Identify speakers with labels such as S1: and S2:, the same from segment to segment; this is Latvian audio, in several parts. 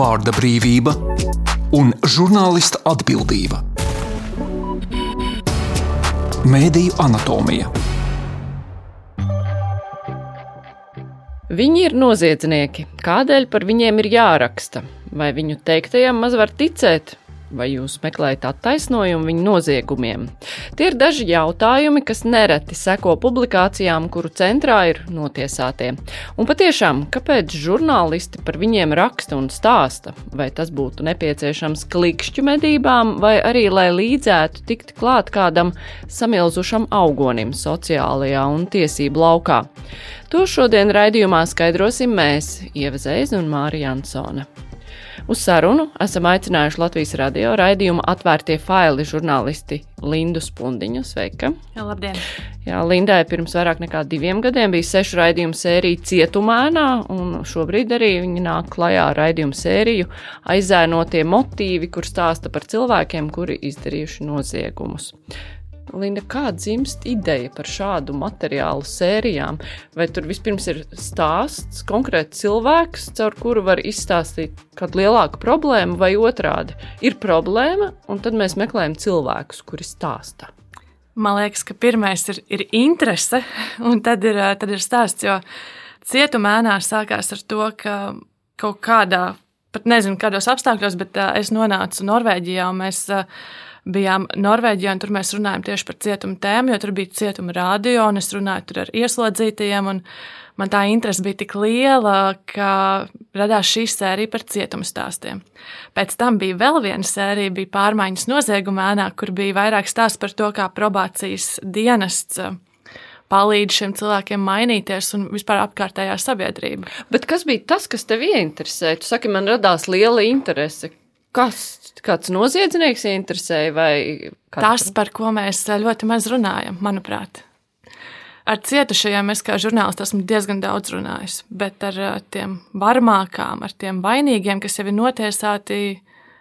S1: vārda brīvība un žurnālista atbildība. Mēdīju anatomija.
S2: Viņi ir noziedznieki. Kādēļ par viņiem ir jāraksta? Vai viņu teiktajam maz var ticēt? Vai jūs meklējat attaisnojumu viņu noziegumiem? Tie ir daži jautājumi, kas nereti seko publikācijām, kuru centrā ir notiesātie. Un patiešām, kāpēc žurnālisti par viņiem raksta un stāsta? Vai tas būtu nepieciešams klikšķu medībām, vai arī, lai līdzētu tikt klāt kādam samilzušam augonim sociālajā un tiesību laukā? To šodien raidījumā skaidrosim mēs, Ieva Zeize un Māra Jansone. Uz sarunu esam aicinājuši Latvijas radio raidījuma Atvērtie faili žurnālisti Lindu Spundiņu. Sveika!
S3: Jā, labdien!
S2: Jā, Lindai pirms vairāk nekā 2 gadiem bija 6 raidījumu sērija Cietumēnā, un šobrīd arī viņa nāk klajā ar raidījumu sēriju Aizēnotie motīvi, kur stāsta par cilvēkiem, kuri izdarījuši noziegumus. Linda, kā dzimst ideja par šādu materiālu sērijām? Vai tur vispirms ir stāsts, konkrēts cilvēks, caur kuru var izstāstīt kādu lielāku problēmu, vai otrādi? Ir problēma, un tad mēs meklējam cilvēkus, kuri stāsta.
S3: Man liekas, ka pirmais ir interese, un tad ir stāsts, jo Cietumēnā sākās ar to, ka kaut kādā, pat nezinu kādos apstākļos, bet es nonācu Norvēģijā, un mēs bijām Norvēģijā, un tur mēs runājam tieši par cietuma tēmu, jo tur bija cietuma radio, un es runāju tur ar ieslodzītajiem, un man tā interese bija tik liela, ka radās šī sērija par cietuma stāstiem. Pēc tam bija vēl viena sērija, bija Pārmaiņas Noziegumēnā, kur bija vairāk stāsts par to, kā probācijas dienests palīdz šiem cilvēkiem mainīties un vispār apkārtējā sabiedrība.
S2: Bet kas bija tas, kas tev ieinteresē? Tu saki, man radās liela interese. Kāds noziedznieks interesēja vai
S3: Tas, par ko mēs ļoti maz runājam, manuprāt. Ar cietušajiem es kā žurnālists esmu diezgan daudz runājis, bet ar tiem varmākām, ar tiem vainīgiem, kas jau ir notiesāti,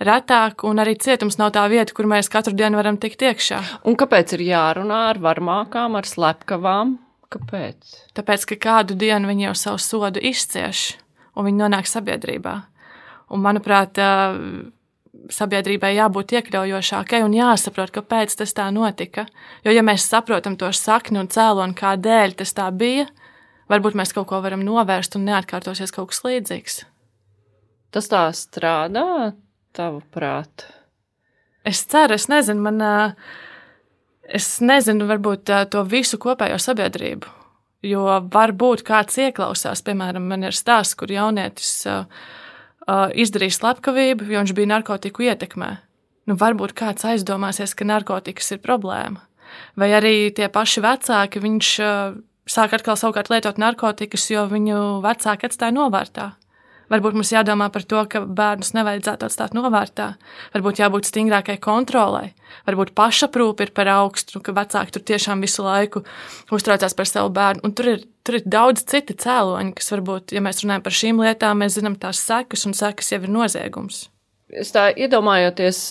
S3: retāk, un arī cietums nav tā vieta, kur mēs katru dienu varam tikt iekšā.
S2: Un kāpēc ir jārunā ar varmākām, ar slepkavām? Kāpēc?
S3: Tāpēc, ka kādu dienu viņi jau savu sodu izcieš, un viņi nonāk sabiedrībā. Un, manuprāt, sabiedrībai jābūt iekļaujošākai un jāsaprot, kāpēc tas tā notika. Jo, ja mēs saprotam to sakni un cēloni, kādēļ tas tā bija, varbūt mēs kaut ko varam novērst un neatkārtosies kaut kas līdzīgs.
S2: Tas tā strādā, tavuprāt?
S3: Es ceru, es nezinu varbūt to visu kopējo sabiedrību, jo varbūt kāds ieklausās, piemēram, man ir stāsts, kur jaunietis izdarīja slepkavību, jo viņš bija narkotiku ietekmē. Varbūt kāds aizdomāsies, ka narkotikas ir problēma. Vai arī tie paši vecāki, viņš sāk atkal savukārt lietot narkotikas, jo viņu vecāki atstāja novārtā. Varbūt mums jādomā par to, ka bērnus nevajadzētu atstāt novārtā. Varbūt jābūt stingrākai kontrolai. Varbūt pašaprūpe ir par augstu, ka vecāki tur tiešām visu laiku uztraucās par savu bērnu. Un tur ir daudz citi cēloņi, kas varbūt, ja mēs runājam par šīm lietām, mēs zinām tās sekas, un sekas jau ir noziegums.
S2: Es tā iedomājoties,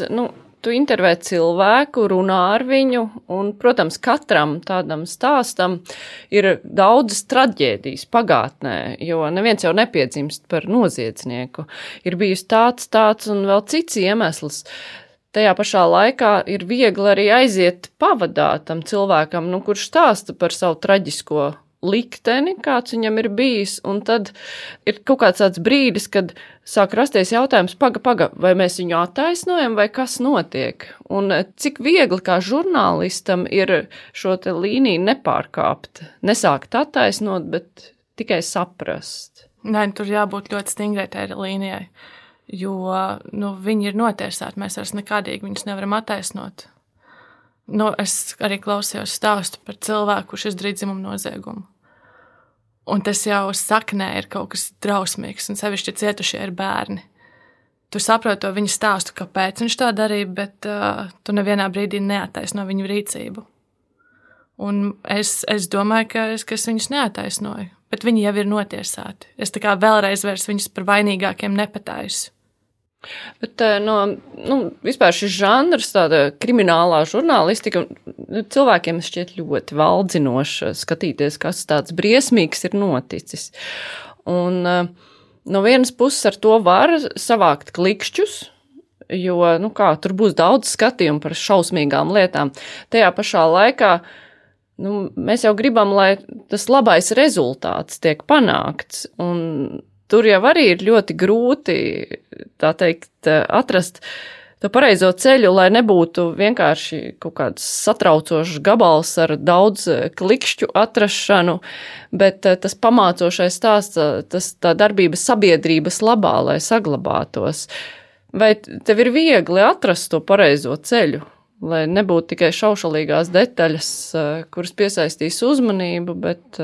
S2: tu intervē cilvēku, runā ar viņu, un, protams, katram tādam stāstam ir daudzas traģēdijas pagātnē, jo neviens jau nepiedzimst par noziedznieku. Ir bijis tāds un vēl cits iemesls. Tajā pašā laikā ir viegli arī aiziet pavadā tam cilvēkam, kurš stāsta par savu traģisko likteni, kāds viņam ir bijis, un tad ir kaut kāds tāds brīdis, kad sāk rasties jautājums, paga, vai mēs viņu attaisnojam, vai kas notiek, un cik viegli kā žurnālistam ir šo te līniju nepārkāpt, nesākt attaisnot, bet tikai saprast.
S3: Nē, tur jābūt ļoti stingrai tai līnijai, jo viņi ir notiesāti, mēs vairs nekādīgi viņus nevaram attaisnot. Es arī klausījos stāstu par cilvēku, kurš izdarīja dzimumu noziegumu. Un tas jau saknē ir kaut kas drausmīgs, un sevišķi cietušie ir bērni. Tu saproti to viņa stāstu, kāpēc viņš tā darīja, bet tu nevienā brīdī neattaisno viņu rīcību. Un es domāju, ka es viņus neattaisnoju, bet viņi jau ir notiesāti. Es tā kā vēlreiz vairs viņus par vainīgākiem nepataisu.
S2: Bet vispār šis žanrs, tāda kriminālā žurnālistika, cilvēkiem šķiet ļoti valdzinoši skatīties, kas tāds briesmīgs ir noticis. Un no vienas puses ar to var savākt klikšķus, jo, tur būs daudz skatījumu par šausmīgām lietām. Tajā pašā laikā, mēs jau gribam, lai tas labais rezultāts tiek panākts, un tur jau arī ir ļoti grūti, tā teikt, atrast to pareizo ceļu, lai nebūtu vienkārši kaut kāds satraucošs gabals ar daudz klikšķu atrašanu, bet tas pamācošais stāsts, tā darbība sabiedrības labā, lai saglabātos. Vai tev ir viegli atrast to pareizo ceļu, lai nebūtu tikai šaušalīgās detaļas, kuras piesaistīs uzmanību, bet...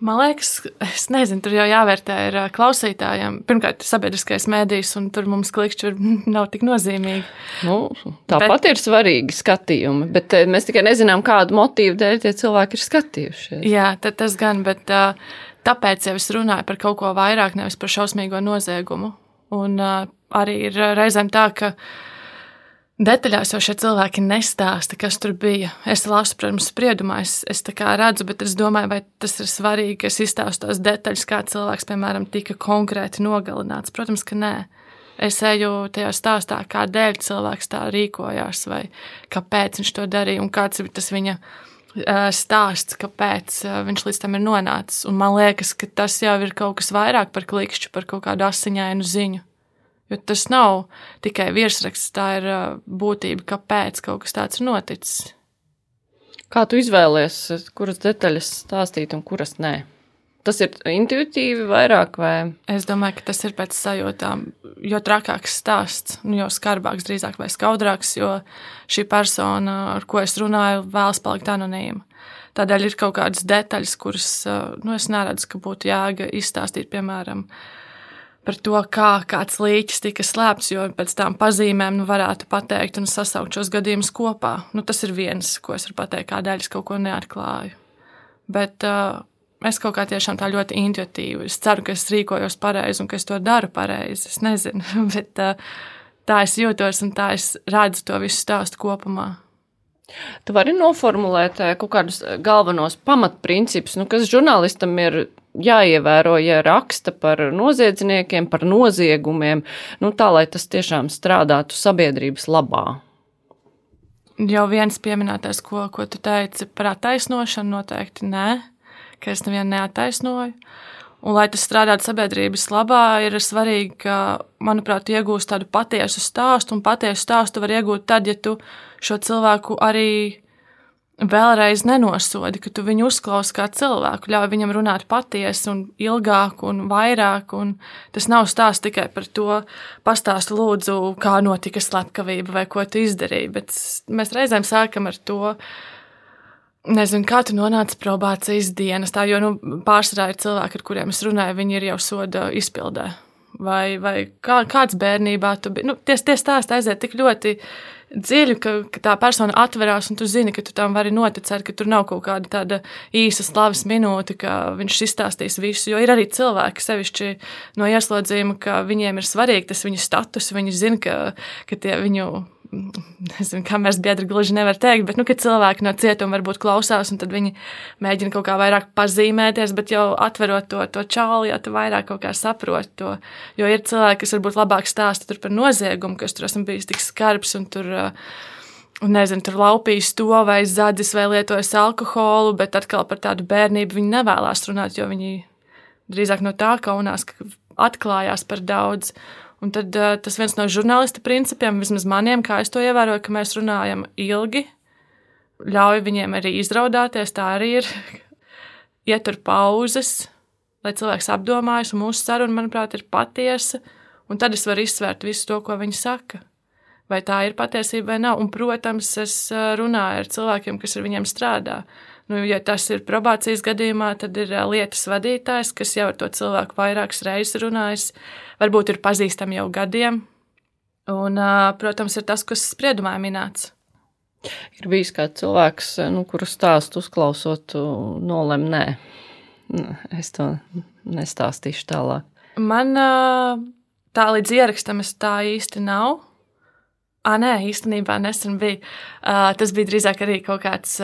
S3: Man liekas, es nezinu, tur jau jāvērtē ir klausītājiem. Pirmkārt, sabiedriskais mēdījis, un tur mums klikšķi nav tik nozīmīgi.
S2: Tāpat ir svarīgi skatījumi, bet mēs tikai nezinām, kādu motīvu dēļ tie cilvēki ir skatījušies.
S3: Jā, tas gan, bet tāpēc jau es runāju par kaut ko vairāk, nevis par šausmīgo noziegumu. Un arī ir reizēm tā, ka detaļās jau šie cilvēki nestāsta, kas tur bija. Es lasu, protams, spriedumā, es tā kā redzu, bet es domāju, vai tas ir svarīgi, ka es izstāstu tās detaļas, kā cilvēks, piemēram, tika konkrēti nogalināts. Protams, ka nē. Es eju tajā stāstā, kādēļ cilvēks tā rīkojās, vai kāpēc viņš to darīja, un kāds ir tas viņa stāsts, kāpēc viņš līdz tam ir nonācis. Un man liekas, ka tas jau ir kaut kas vairāk par klikšķu, par kaut kādu asiņainu ziņu. Jo tas nav tikai virsraksts, tā ir būtība, kāpēc kaut kas tāds ir noticis.
S2: Kā tu izvēlies, kuras detaļas stāstīt un kuras nē? Tas ir intuitīvi vairāk vai?
S3: Es domāju, ka tas ir pēc sajūtām, jo trakāks stāsts, jo skarbāks drīzāk vai skaudrāks, jo šī persona, ar ko es runāju, vēlas palikt anonīma. Tādēļ ir kaut kādas detaļas, kuras, es neredzu, ka būtu jēga izstāstīt, piemēram, par to, kā kāds līķis tika slēpts, jo pēc tām pazīmēm varētu pateikt un sasaukt šos gadījumus kopā. Tas ir viens, ko es varu pateikt, kādēļ es kaut ko neatklāju. Bet es kaut kā tiešām tā ļoti intuitīvi. Es ceru, ka es rīkojos pareizi un ka es to daru pareizi. Es nezinu, bet tā es jūtos un tā es redzu to visu stāstu kopumā.
S2: Tu vari noformulēt kaut kādus galvenos pamatprincipus, kas žurnālistam ir jāievēro, ja raksta par noziedzniekiem, par noziegumiem, tā, lai tas tiešām strādātu sabiedrības labā.
S3: Jau viens pieminētais, ko tu teici par attaisnošanu, noteikti nē, ka es nevienu neattaisnoju. Un, lai tas strādātu sabiedrības labā, ir svarīgi, ka, manuprāt, iegūst tādu patiesu stāstu, un patiesu stāstu var iegūt tad, ja tu šo cilvēku arī vēlreiz nenosodi, ka tu viņu uzklausi kā cilvēku, ļauj viņam runāt patiesi un ilgāk un vairāk, un tas nav stāsts tikai par to, pastāstu lūdzu, kā notika slepkavība vai ko tu izdarīji, bet mēs reizēm sākam ar to, nezinu, kā tu nonāci probācijas dienestā, jo pārsvarā ir cilvēki, ar kuriem es runāju, viņi ir jau soda izpildē. Vai kāds bērnībā tu biji. Tie stāsti aiziet tik ļoti dziļi, ka tā persona atverās un tu zini, ka tu tam vari noticēt, ka tur nav kaut kāda tāda īsa slavas minūte, ka viņš izstāstīs visu, jo ir arī cilvēki sevišķi no ieslodzījuma, ka viņiem ir svarīgi tas viņu status, viņi zina, ka tie viņu, nezinu, kā mēs biedri gluži nevar teikt, bet, ka cilvēki no cietuma varbūt klausās, un tad viņi mēģina kaut kā vairāk pazīmēties, bet jau atverot to čāli, jau tu vairāk kaut kā saproti to, jo ir cilvēki, kas varbūt labāk stāsta tur par noziegumu, kas tur esmu bijis tik skarbs, un tur, nezinu, tur laupījis to vai zadzis vai lietojas alkoholu, bet atkal par tādu bērnību viņi nevēlās runāt, jo viņi drīzāk no tā kaunās, ka atklājās par daudz. Un tad tas viens no žurnālista principiem, vismaz maniem, kā es to ievēroju, ka mēs runājam ilgi, ļauj viņiem arī izraudāties, tā arī ir, ietur pauzes, lai cilvēks apdomājas, un mūsu saruna, manuprāt, ir patiesa, un tad es varu izsvērt visu to, ko viņi saka. Vai tā ir patiesība vai nav, un, protams, es runāju ar cilvēkiem, kas ar viņiem strādā. Ja tas ir probācijas gadījumā, tad ir lietas vadītājs, kas jau ar to cilvēku vairākas reizes runājis, varbūt ir pazīstami jau gadiem, un, protams, ir tas, kas spriedumā minēts.
S2: Ir bijis kāds cilvēks, kuru stāstu uzklausot, nolem nē. Es to nestāstīšu tālāk.
S3: Man tā līdz ierakstam es tā īsti nav. Nē, īstenībā nesen bija. Tas bija drīzāk arī kaut kāds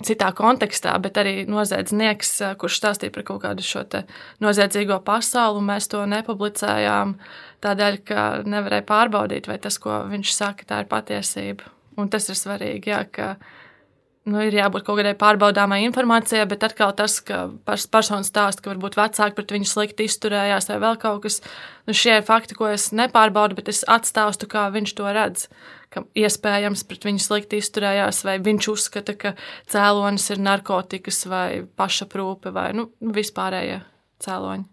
S3: citā kontekstā, bet arī noziedznieks, kurš stāstīja par kaut kādu šo te noziedzīgo pasauli, un mēs to nepublicējām tādēļ, ka nevarēja pārbaudīt, vai tas, ko viņš saka, tā ir patiesība. Un tas ir svarīgi, jā, ka ir jābūt kaut kādai pārbaudāmai informācijai, bet atkal tas, ka persona stāsta, ka varbūt vecāki pret viņu slikti izturējās vai vēl kaut kas, šie ir fakti, ko es nepārbaudu, bet es atstāstu, kā viņš to redz, ka iespējams pret viņu slikti izturējās, vai viņš uzskata, ka cēlonis ir narkotikas vai pašaprūpe vai vispārējie cēloņi.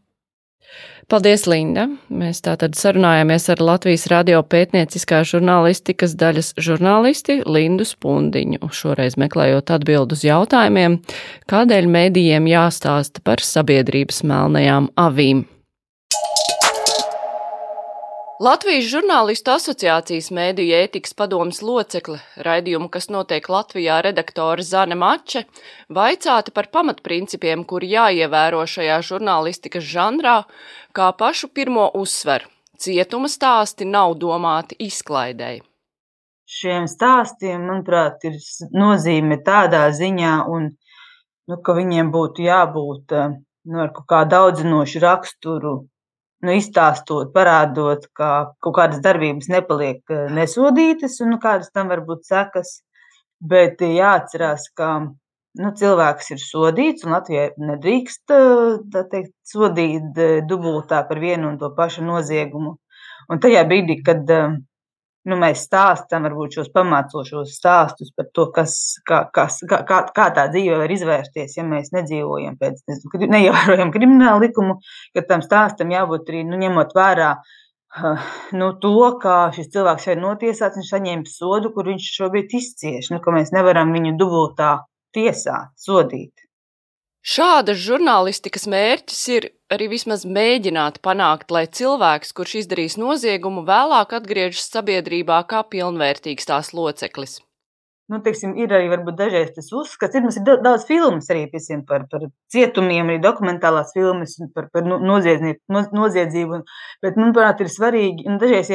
S2: Paldies, Linda! Mēs tātad sarunājāmies ar Latvijas radio pētnieciskā žurnālistikas daļas žurnālisti Lindu Spundiņu, šoreiz meklējot atbildu uz jautājumiem, kādēļ medijiem jāstāsta par sabiedrības melnajām avīm. Latvijas žurnālistu asociācijas mediju ētikas padomes locekle, raidījumu, kas notiek Latvijā, redaktore Zane Mače, vaicāta par pamatprincipiem, kuri jāievēro šajā žurnālistikas žanrā, kā pašu pirmo uzsver. Cietuma stāsti nav domāti izklaidēji.
S4: Šiem stāstiem, manuprāt, ir nozīme tādā ziņā, ka viņiem būtu jābūt ar kaut kā daudzinošu raksturu, izstāstot, parādot, ka kaut kādas darbības nepaliek nesodītas un kādas tam var būt sekas, bet jāatcerās, ka cilvēks ir sodīts un Latvijā nedrīkst sodīt dubultā par vienu un to pašu noziegumu. Un tajā brīdī, kad mēs stāstam varbūt šos pamācošos stāstus par to, kā tā dzīve var izvērsties, ja mēs nedzīvojam neievērojam kriminālu likumu, ka tam stāstam jābūt arī, ņemot vērā to, ka šis cilvēks jau ir notiesāts, viņš saņēma sodu, kur viņš šobrīd izcieš, ka mēs nevaram viņu dubultā tiesāt, sodīt.
S2: Šādas žurnālistikas mērķis ir arī vismaz mēģināt panākt, lai cilvēks, kurš izdarīs noziegumu, vēlāk atgriežas sabiedrībā kā pilnvērtīgs tās loceklis.
S4: Ir arī varbūt dažreiz tas uzskats. Mums ir daudz filmas arī par cietumiem, arī dokumentālās filmas par noziedzību. Bet, manuprāt, ir svarīgi, dažreiz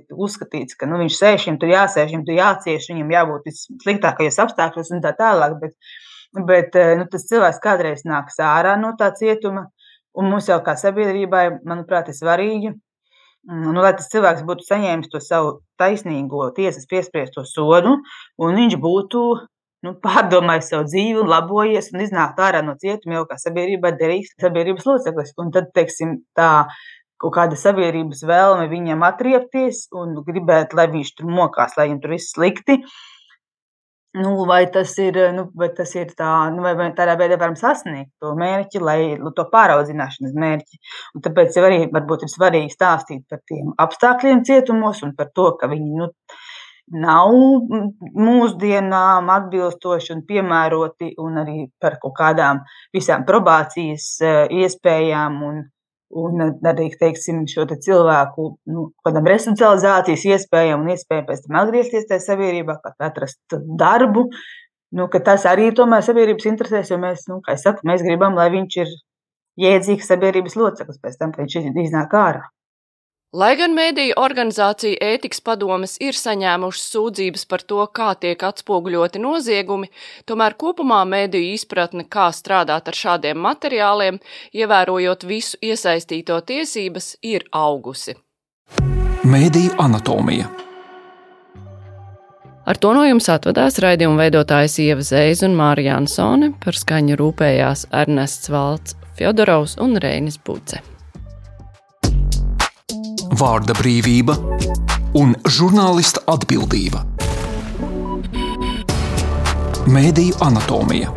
S4: uzskatīts, ka viņš sēž, viņam tur jāsēž, viņam tur jācieš, viņam jābūt sliktākajos apstākļos un tā tālāk. Bet tas cilvēks kādreiz nāks ārā no tā cietuma, un mums jau kā sabiedrībai, manuprāt, ir svarīgi, lai tas cilvēks būtu saņēmis to savu taisnīgo tiesas piespriesto sodu, un viņš būtu pārdomājis savu dzīvi un labojies un iznākt ārā no cietuma jau kā sabiedrībai derīgs sabiedrības loceklis. Un tad, tā kaut kāda sabiedrības vēlme viņam atriepties un gribēt, lai viņš tur mokās, lai viņam tur viss slikti. Vai tas ir vai tādā veidā varam sasniegt to mērķi, to pāraudzināšanas mērķi. Un tāpēc arī varbūt ir svarīgi stāstīt par tiem apstākļiem cietumos un par to, ka viņi nav mūsdienām atbilstoši un piemēroti, un arī par kaut kādām visām probācijas iespējām un arī, šo cilvēku kādam resocializācijas iespējām un iespējām pēc tam atgriezties tajā sabiedrībā, atrast darbu, ka tas arī tomēr sabiedrības interesēs, jo mēs, kā es saku, mēs gribam, lai viņš ir jēdzīgs sabiedrības loceklis pēc tam, kad viņš iznāk ārā.
S2: Lai gan mediju organizācija ētikas padomes ir saņēmušas sūdzības par to, kā tiek atspoguļoti noziegumi, tomēr kopumā mediju izpratne, kā strādāt ar šādiem materiāliem, ievērojot visu iesaistīto tiesības, ir augusi.
S1: Mediju anatomija.
S2: Ar to no jums atvadās raidījuma veidotājs Ieva Zeiza un Māra Jansone, par skaņu rūpējās Ernests Valts, Fjodorovs un Reinis Buce.
S1: Vārda brīvība un žurnālista atbildība. Mediju anatomija.